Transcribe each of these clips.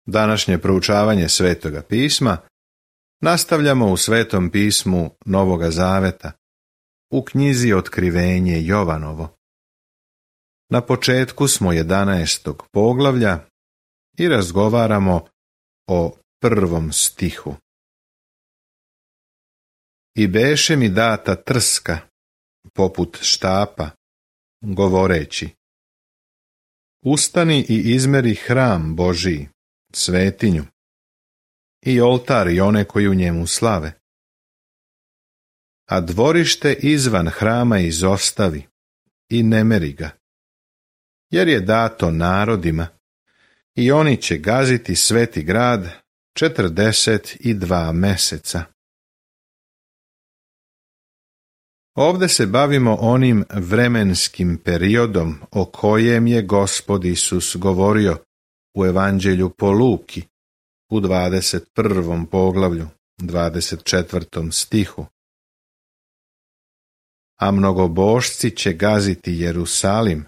Današnje proučavanje Svetoga pisma nastavljamo u Svetom pismu Novoga Zaveta, u knjizi Otkrivenje Jovanovo. Na početku smo 11. poglavlja i razgovaramo o 1. stihu. I beše mi data trska, poput štapa, govoreći: Ustani i izmeri hram Božiji, svetinju, i oltar i one koji u njemu slave. A dvorište izvan hrama izostavi i ne meri ga, jer je dato narodima i oni će gaziti sveti grad 42 meseca. Ovdje se bavimo onim vremenskim periodom o kojem je Gospod Isus govorio u Evanđelju po Luki u 21. poglavlju, 24. stihu. A mnogobožci će gaziti Jerusalim,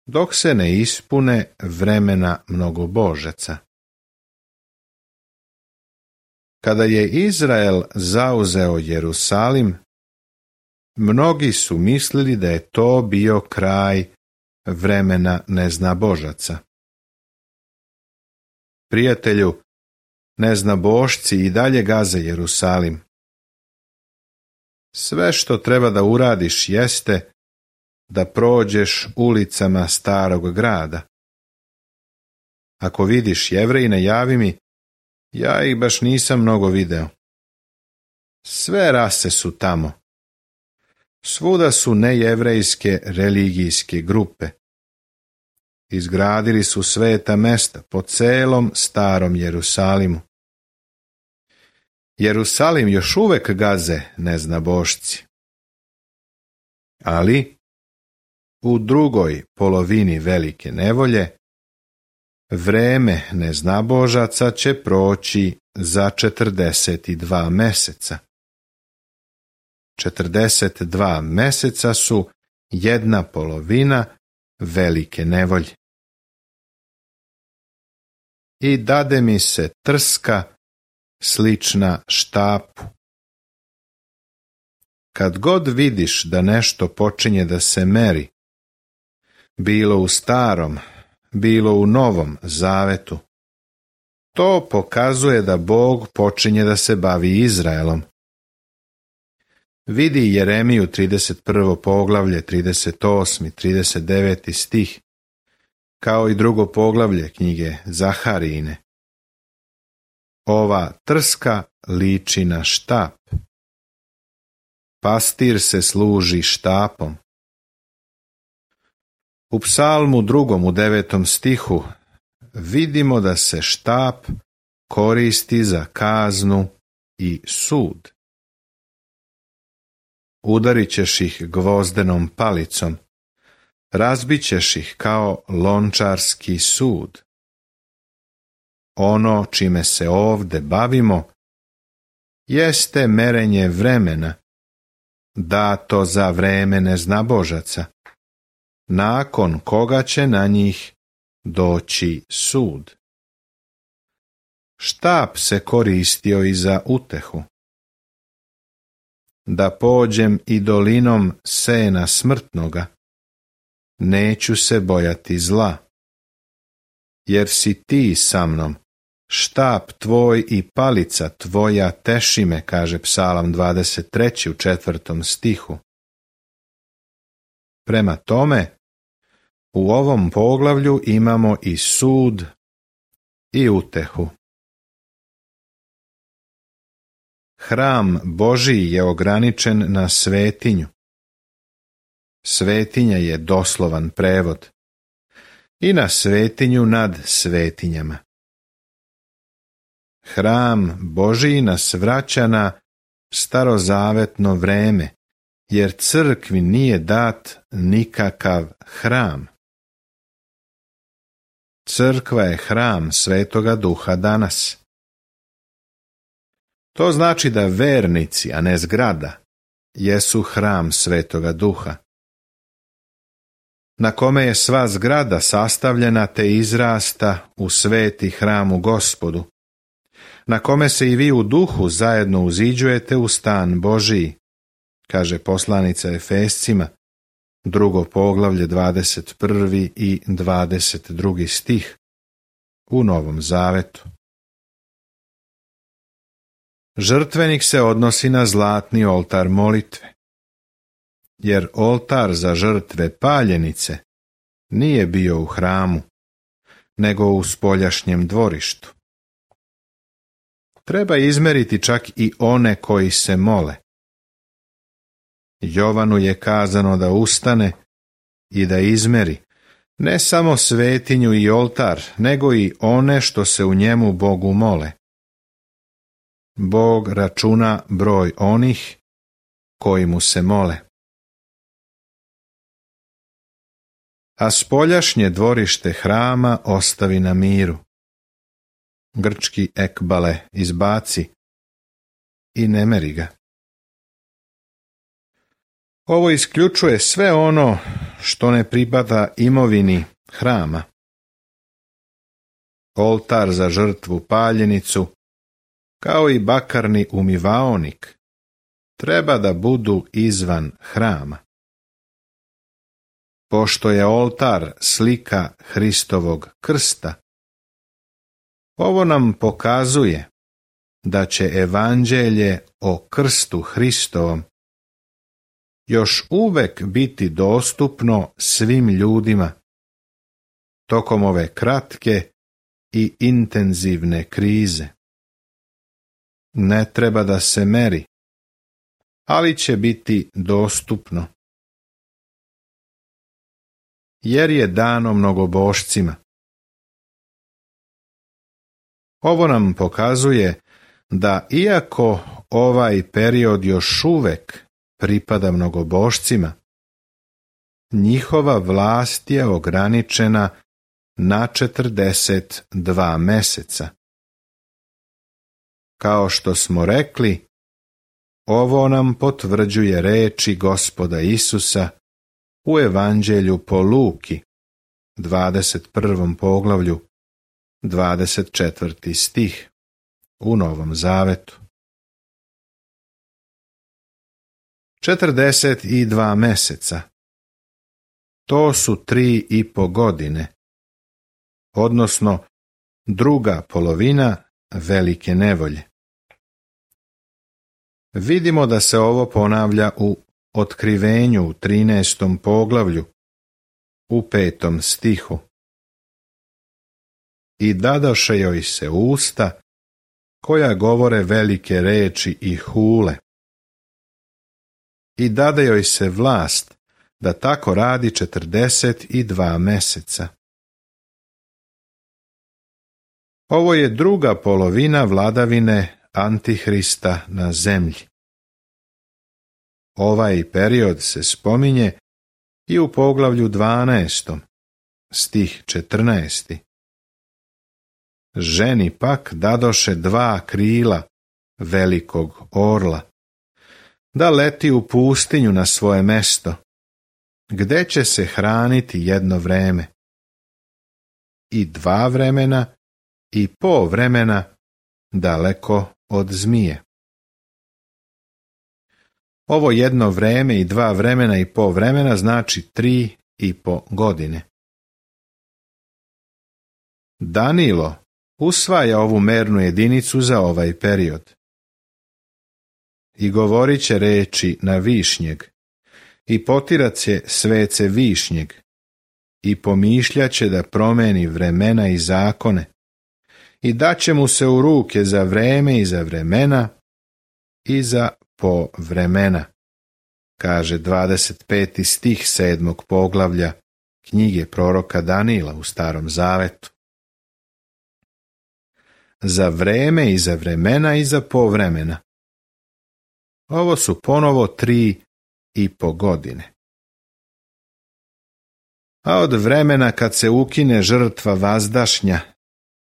dok se ne ispune vremena mnogobožaca. Kada je Izrael zauzeo Jerusalim, mnogi su mislili da je to bio kraj vremena neznabožaca. Prijatelju, neznabošci i dalje gaze Jerusalim. Sve što treba da uradiš jeste da prođeš ulicama starog grada. Ako vidiš Jevrejine, javi mi, ja ih baš nisam mnogo video. Sve rase su tamo. Svuda su nejevrejske religijske grupe. Izgradili su sveta mesta po celom starom Jerusalimu. Jerusalim još uvek gaze neznabošci. Ali u drugoj polovini velike nevolje vreme neznabožaca će proći za 42 meseca. 42 meseca su jedna polovina velike nevolje. I dade mi se trska slična štapu. Kad god vidiš da nešto počinje da se meri, bilo u starom, bilo u Novom Zavetu, to pokazuje da Bog počinje da se bavi Izraelom. Vidi Jeremiju 31. poglavlje, 38. 39. stih, kao i drugo poglavlje knjige Zaharijine. Ova trska liči na štap. Pastir se služi štapom. U Psalmu 2. u 9. stihu vidimo da se štap koristi za kaznu i sud. Udarit ćeš ih gvozdenom palicom, razbit ćeš ih kao lončarski sud. Ono čime se ovde bavimo jeste merenje vremena, dato za vreme neznabožaca, nakon koga će na njih doći sud. Štap se koristio i za utehu. Da pođem i dolinom sena smrtnoga, neću se bojati zla, jer si ti sa mnom, štap tvoj i palica tvoja teši me, kaže Psalam 23. u 4. stihu. Prema tome, u ovom poglavlju imamo i sud i utehu. Hram Božiji je ograničen na svetinju. Svetinja je doslovan prevod. I na svetinju nad svetinjama. Hram Božiji nas vraća na starozavetno vreme, jer crkvi nije dat nikakav hram. Crkva je hram Svetoga Duha danas. To znači da vernici, a ne zgrada, jesu hram Svetoga Duha. na kome je sva zgrada sastavljena te izrasta u sveti hram u Gospodu, na kome se i vi u duhu zajedno uziđujete u stan Božiji, kaže poslanica Efescima, 2. poglavlje 21. i 22. stih u Novom Zavetu. Žrtvenik se odnosi na zlatni oltar molitve, jer oltar za žrtve paljenice nije bio u hramu, nego u spoljašnjem dvorištu. Treba izmeriti čak i one koji se mole. Jovanu je kazano da ustane i da izmeri ne samo svetinju i oltar, nego i one što se u njemu Bogu mole. Bog računa broj onih koji mu se mole. A spoljašnje dvorište hrama ostavi na miru. Grčki ekbale izbaci i ne meri ga. Ovo isključuje sve ono što ne pripada imovini hrama. Oltar za žrtvu paljenicu, kao i bakarni umivaonik, treba da budu izvan hrama. Pošto je oltar slika Hristovog krsta, ovo nam pokazuje da će evanđelje o krstu Hristovom još uvek biti dostupno svim ljudima tokom ove kratke i intenzivne krize. Ne treba da se meri, ali će biti dostupno. Jer je dano mnogobošcima. Ovo nam pokazuje da iako ovaj period još uvek pripada mnogobošcima, njihova vlast je ograničena na 42 meseca. Kao što smo rekli, ovo nam potvrđuje reči Gospoda Isusa u Evanđelju po Luki, 21. poglavlju, 24. stih u Novom Zavetu. 42 meseca. To su 3,5 godine, odnosno druga polovina velike nevolje. Vidimo da se ovo ponavlja u Otkrivenju u 13. poglavlju, u 5. stihu. I dadoše joj se usta, koja govore velike reči i hule. I dade joj se vlast, da tako radi 42 meseca. Ovo je druga polovina vladavine Antihrista na zemlji. Ovaj period se spominje i u poglavlju 12, stih 14. Ženi pak dadoše 2 krila velikog orla, da leti u pustinju na svoje mesto, gde će se hraniti jedno vreme, i 2 vremena i po vremena daleko od zmije. Ovo jedno vreme i 2 vremena i po vremena znači 3,5 godine. Danilo usvaja ovu mernu jedinicu za ovaj period. I govorit će reči na višnjeg, i potirat će svece višnjeg, i pomišljaće da promeni vremena i zakone, i daće mu se u ruke za vreme i za vremena i za po vremena, kaže 25. stih 7. poglavlja knjige proroka Danila u Starom Zavetu. Za vreme i za vremena i za po vremena. Ovo su ponovo 3,5 godine. A od vremena kad se ukine žrtva vazdašnja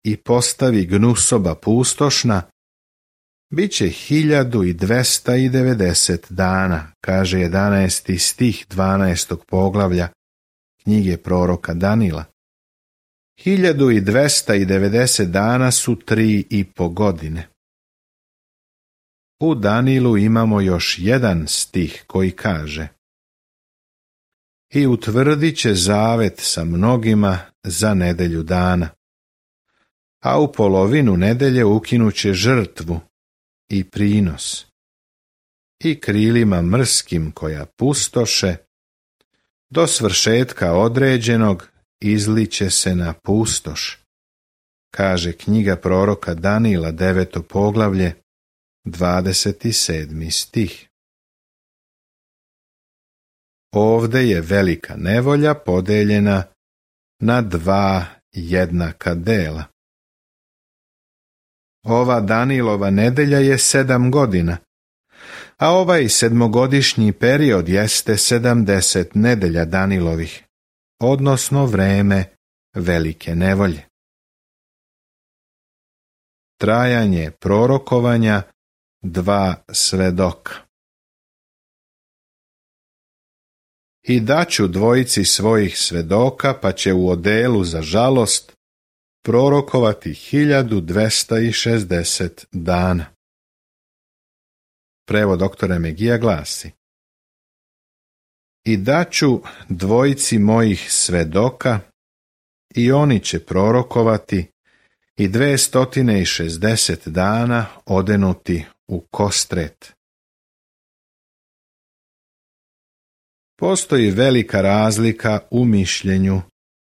i postavi gnusoba pustošna, bit će 1290 dana, kaže 11. stih 12. poglavlja knjige proroka Danila. 1290 dana su 3,5 godine. U Danilu imamo još jedan stih koji kaže: I utvrdit će zavet sa mnogima za nedelju dana, a u polovinu nedelje ukinuće žrtvu i prinos, i krilima mrskim koja pustoše, do svršetka određenog izliće se na pustoš, kaže knjiga proroka Danila, 9. poglavlje, 27. stih. Ovde je velika nevolja podeljena na 2 jednaka dela. Ova Danilova nedelja je 7 godina, a ovaj 7-godišnji period jeste 70 nedelja Danilovih, odnosno vreme velike nevolje. Trajanje prorokovanja 2 svedoka. I daću dvojici svojih svedoka, pa će u odelu za žalost prorokovati 1260 dana. Prevod doktora Megija glasi: I daću dvojici mojih svedoka, i oni će prorokovati i 260 dana odenuti u kostret. Postoji velika razlika u mišljenju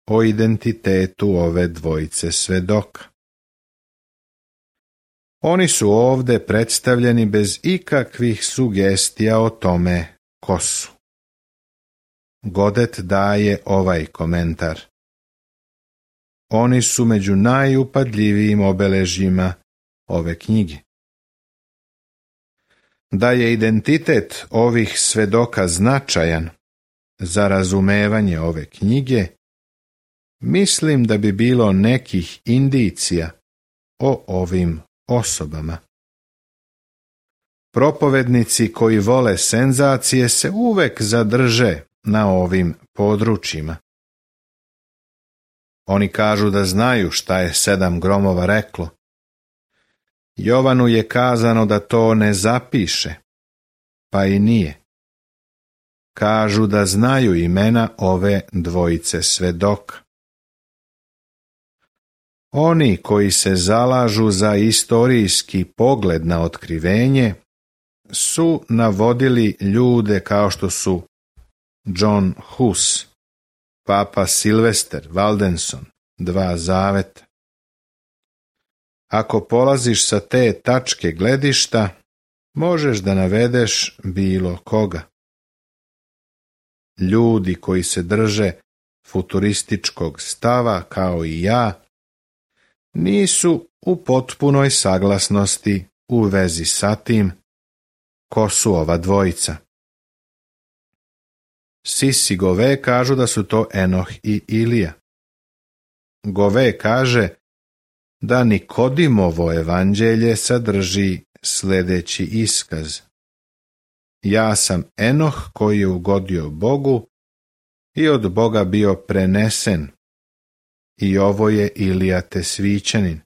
o identitetu ove dvojice svedoka. Oni su ovde predstavljeni bez ikakvih sugestija o tome ko su. Godet daje ovaj komentar: Oni su među najupadljivijim obeležjima ove knjige. Da je identitet ovih svedoka značajan za razumevanje ove knjige, mislim da bi bilo nekih indicija o ovim osobama. Propovednici koji vole senzacije se uvek zadrže na ovim područjima. Oni kažu da znaju šta je 7 gromova reklo. Jovanu je kazano da to ne zapiše, pa i nije. Kažu da znaju imena ove dvojice svedoka. Oni koji se zalažu za istorijski pogled na otkrivenje su navodili ljude kao što su John Hus, Papa Silvester Waldenson, 2 zaveta. Ako polaziš sa te tačke gledišta, možeš da navedeš bilo koga. Ljudi koji se drže futurističkog stava kao i ja, nisu u potpunoj saglasnosti u vezi sa tim ko su ova dvojica. Sisi Gove kažu da su to Enoh i Ilija. Gove kaže da Nikodimovo evanđelje sadrži sljedeći iskaz: Ja sam Enoh koji je ugodio Bogu i od Boga bio prenesen, i ovo je Ilija Tesvićanin.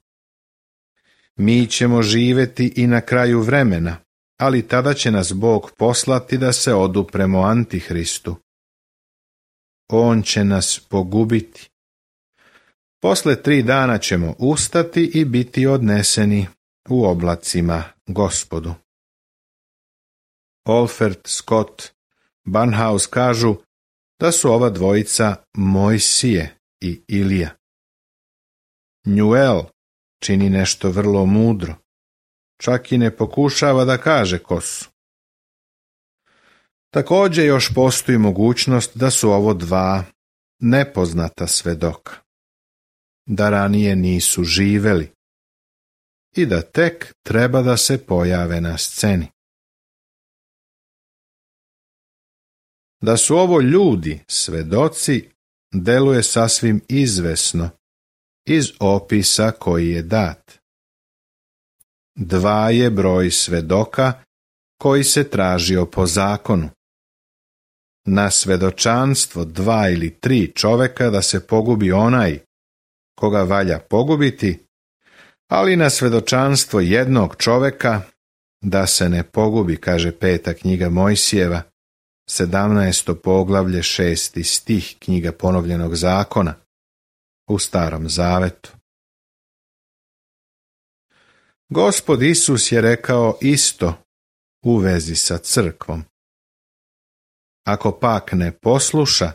Mi ćemo živjeti i na kraju vremena, ali tada će nas Bog poslati da se odupremo Antihristu. On će nas pogubiti. Posle 3 dana ćemo ustati i biti odneseni u oblacima Gospodu. Olfert, Scott, Barnhouse kažu da su ova dvojica Mojsije i Ilija. Newell čini nešto vrlo mudro. Čak i ne pokušava da kaže ko su. Također još postoji mogućnost da su ovo 2 nepoznata svedoka, da ranije nisu živeli i da tek treba da se pojave na sceni. Da su ovo ljudi, svedoci, deluje sasvim izvesno iz opisa koji je dat. 2 je broj svedoka koji se tražio po zakonu. na svedočanstvo 2 ili 3 čoveka da se pogubi onaj koga valja pogubiti, ali na svedočanstvo jednog čoveka da se ne pogubi, kaže 5. knjiga Mojsijeva, 17. poglavlje, 6. stih knjiga Ponovljenog zakona u Starom zavetu. Gospod Isus je rekao isto u vezi sa crkvom. Ako pak ne posluša,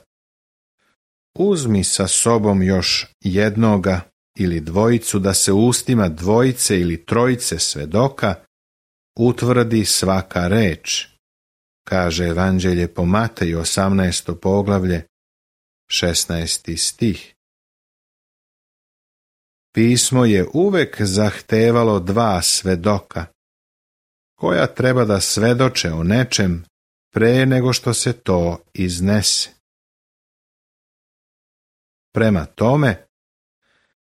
uzmi sa sobom još jednoga ili dvojicu da se ustima 2 ili 3 svedoka utvrdi svaka reč, kaže Evanđelje po Mateju 18. poglavlje, 16. stih. Pismo je uvek zahtevalo 2 svedoka, koja treba da svedoče o nečem pre nego što se to iznese. Prema tome,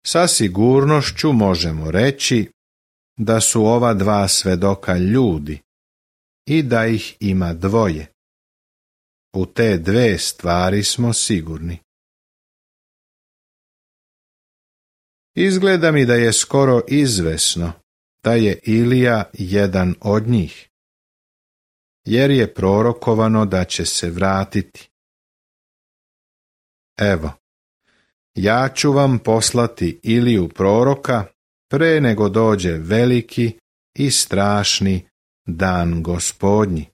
sa sigurnošću možemo reći da su ova 2 svedoka ljudi i da ih ima 2. U te 2 stvari smo sigurni. Izgleda mi da je skoro izvesno da je Ilija jedan od njih, jer je prorokovano da će se vratiti. Evo, ja ću vam poslati Iliju proroka pre nego dođe veliki i strašni dan Gospodnji,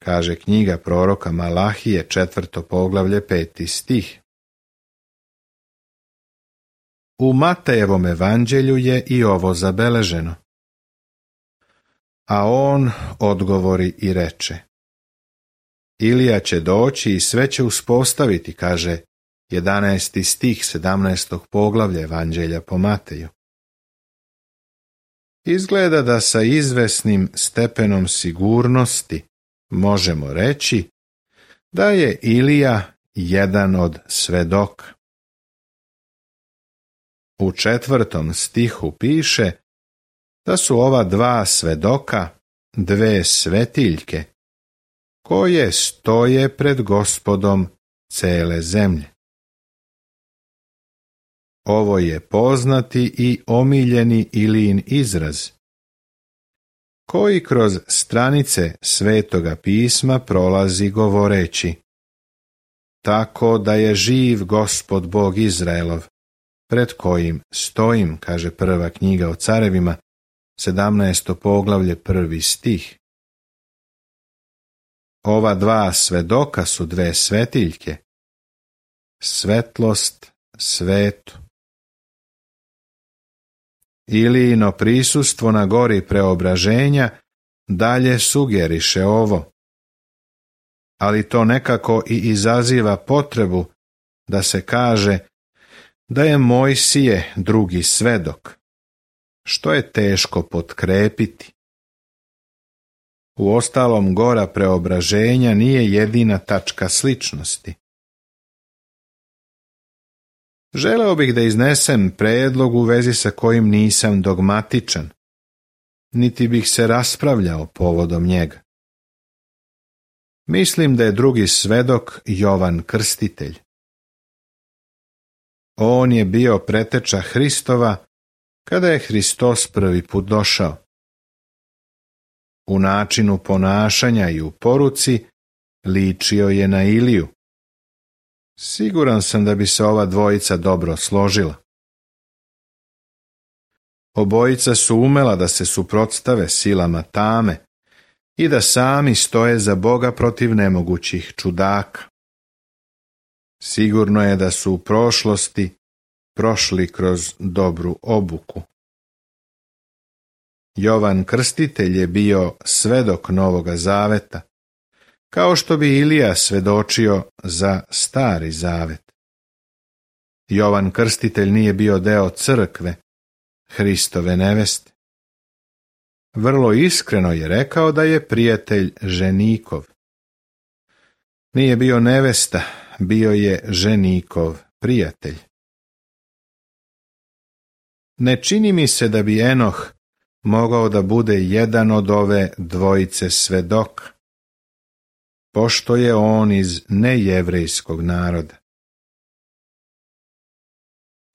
kaže knjiga proroka Malahije 4. poglavlje 5. stih. U Matejevom evanđelju je i ovo zabeleženo. A on odgovori i reče: Ilija će doći i sve će uspostaviti, kaže 11. stih 17. poglavlja evanđelja po Mateju. Izgleda da sa izvesnim stepenom sigurnosti možemo reći da je Ilija jedan od svedoka. U 4. stihu piše da su ova 2 svedoka 2 svetiljke koje stoje pred Gospodom cele zemlje. Ovo je poznati i omiljeni Ilijin izraz, koji kroz stranice Svetoga pisma prolazi govoreći: tako da je živ Gospod Bog Izraelov, pred kojim stojim, kaže 1. knjiga o carevima, 17. poglavlje 1. stih. Ova 2 svedoka su 2 svetiljke, svetlost svetu. Ilijino prisustvo na gori preobraženja dalje sugeriše ovo, ali to nekako i izaziva potrebu da se kaže da je Mojsije drugi svedok, što je teško potkrepiti. Uostalom, gora preobraženja nije jedina tačka sličnosti. Želeo bih da iznesem predlog u vezi sa kojim nisam dogmatičan, niti bih se raspravljao povodom njega. Mislim da je drugi svedok Jovan Krstitelj. On je bio preteča Hristova kada je Hristos prvi put došao. U načinu ponašanja i u poruci ličio je na Iliju. Siguran sam da bi se ova dvojica dobro složila. Obojica su umela da se suprotstave silama tame i da sami stoje za Boga protiv nemogućih čudaka. Sigurno je da su u prošlosti prošli kroz dobru obuku. Jovan Krstitelj je bio svedok Novoga zaveta, kao što bi Ilija svedočio za Stari zavet. Jovan Krstitelj nije bio deo crkve, Hristove neveste. Vrlo iskreno je rekao da je prijatelj ženikov. Nije bio nevesta, bio je ženikov prijatelj. Ne čini mi se da bi Enoh mogao da bude jedan od ove dvojice svedoka. pošto je on iz nejevrejskog naroda.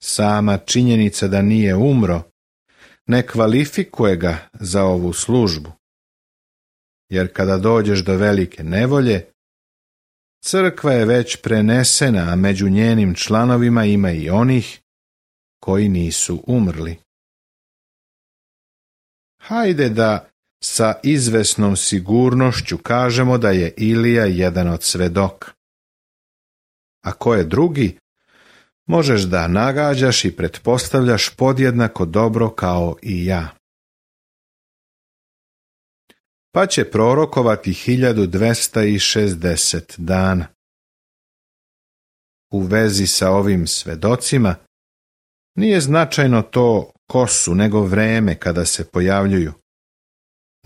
Sama činjenica da nije umro ne kvalifikuje ga za ovu službu, jer kada dođeš do velike nevolje, crkva je već prenesena, a među njenim članovima ima i onih koji nisu umrli. Hajde da sa izvesnom sigurnošću kažemo da je Ilija jedan od svedoka. A ko je drugi, možeš da nagađaš i pretpostavljaš podjednako dobro kao i ja. Pa će prorokovati 1260 dana. U vezi sa ovim svedocima nije značajno to ko su, nego vreme kada se pojavljuju.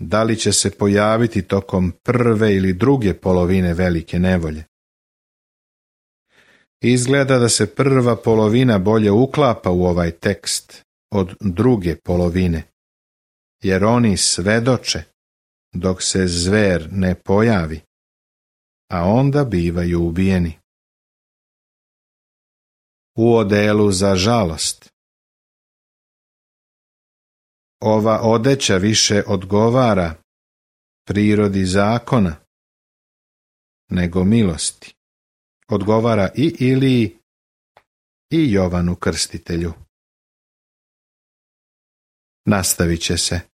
Da li će se pojaviti tokom prve ili druge polovine velike nevolje? Izgleda da se prva polovina bolje uklapa u ovaj tekst od druge polovine, jer oni svedoče dok se zver ne pojavi, a onda bivaju ubijeni. U odelu za žalost. Ova odeća više odgovara prirodi zakona nego milosti. Odgovara i Iliji i Jovanu Krstitelju. Nastavit će se.